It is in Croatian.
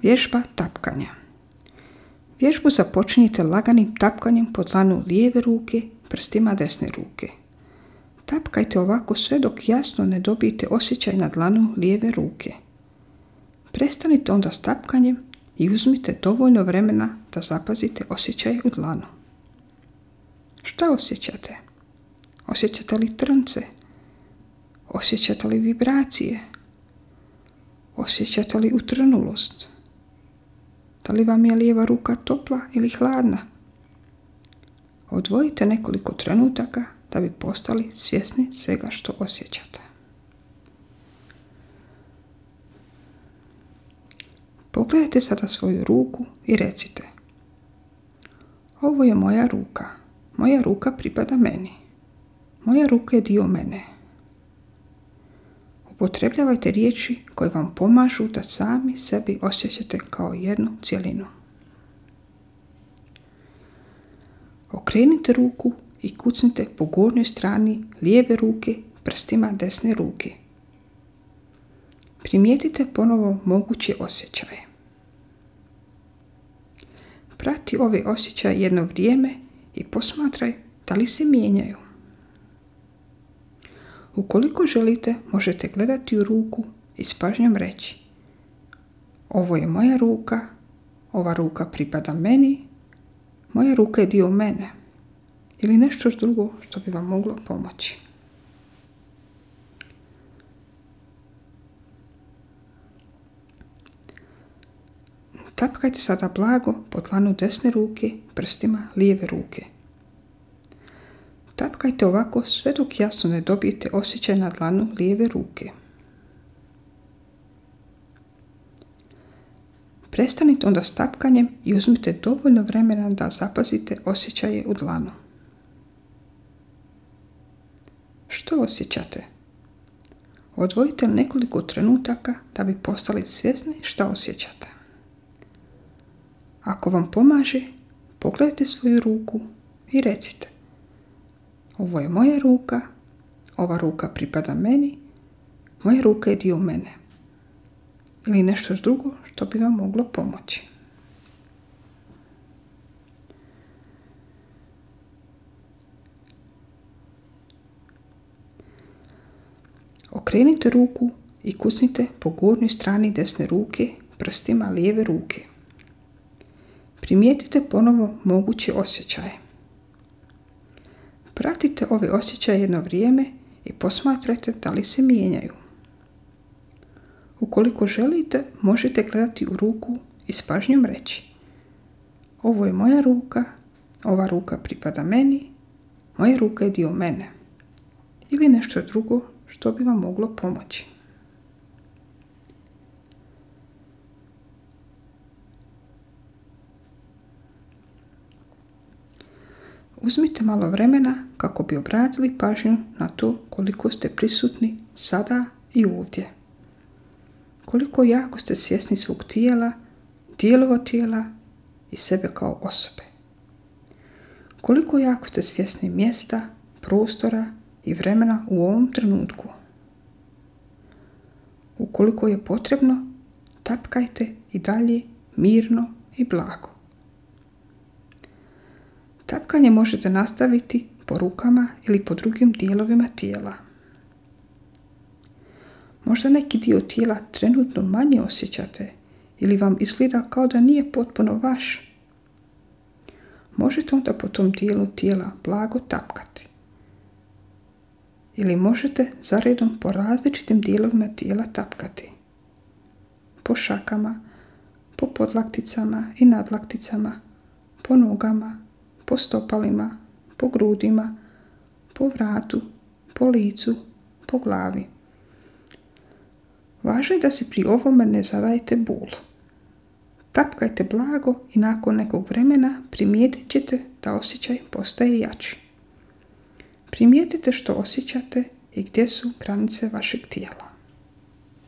Vježba tapkanja. Vježbu započinjite laganim tapkanjem po dlanu lijeve ruke prstima desne ruke. Tapkajte ovako sve dok jasno ne dobijete osjećaj na dlanu lijeve ruke. Prestanite onda s tapkanjem i uzmite dovoljno vremena da zapazite osjećaj u dlanu. Šta osjećate? Osjećate li trnce? Osjećate li vibracije? Osjećate li utrnulost? Da li vam je lijeva ruka topla ili hladna? Odvojite nekoliko trenutaka da bi postali svjesni svega što osjećate. Pogledajte sada svoju ruku i recite: ovo je moja ruka. Moja ruka pripada meni. Moja ruka je dio mene. Upotrebljavajte riječi koje vam pomažu da sami sebi osjećate kao jednu cjelinu. Okrenite ruku i kucnite po gornjoj strani lijeve ruke prstima desne ruke. Primijetite ponovo moguće osjećaje. Prati ove osjećaje jedno vrijeme i posmatraj da li se mijenjaju. Ukoliko želite, možete gledati u ruku i s pažnjom reći: ovo je moja ruka, ova ruka pripada meni, moja ruka je dio mene, ili nešto drugo što bi vam moglo pomoći. Tapkajte sada blago po dlanu desne ruke prstima lijeve ruke. Tapkajte ovako sve dok jasno ne dobijete osjećaj na dlanu lijeve ruke. Prestanite onda s tapkanjem i uzmite dovoljno vremena da zapazite osjećaje u dlanu. Što osjećate? Odvojite nekoliko trenutaka da bi postali svjesni šta osjećate. Ako vam pomaže, pogledajte svoju ruku i recite: ovo je moja ruka, ova ruka pripada meni, moja ruka je dio mene. Ili nešto drugo što bi vam moglo pomoći. Okrenite ruku i kucnite po gornjoj strani desne ruke prstima lijeve ruke. Primijetite ponovo moguće osjećaje. Pratite ove osjećaje jedno vrijeme i posmatrajte da li se mijenjaju. Ukoliko želite, možete gledati u ruku i s pažnjom reći: ovo je moja ruka, ova ruka pripada meni, moja ruka je dio mene. Ili nešto drugo što bi vam moglo pomoći. Uzmite malo vremena kako bi obratili pažnju na to koliko ste prisutni sada i ovdje. Koliko jako ste svjesni svog tijela, dijelova tijela i sebe kao osobe. Koliko jako ste svjesni mjesta, prostora i vremena u ovom trenutku. Ukoliko je potrebno, tapkajte i dalje mirno i blago. Tapkanje možete nastaviti po rukama ili po drugim dijelovima tijela. Možda neki dio tijela trenutno manje osjećate ili vam izgleda kao da nije potpuno vaš. Možete onda po tom dijelu tijela blago tapkati. Ili možete zaredom po različitim dijelovima tijela tapkati. Po šakama, po podlakticama i nadlakticama, po nogama, po stopalima, po grudima, po vratu, po licu, po glavi. Važno je da si pri ovome ne zadajete bol. Tapkajte blago i nakon nekog vremena primijetit ćete da osjećaj postaje jači. Primijetite što osjećate i gdje su granice vašeg tijela.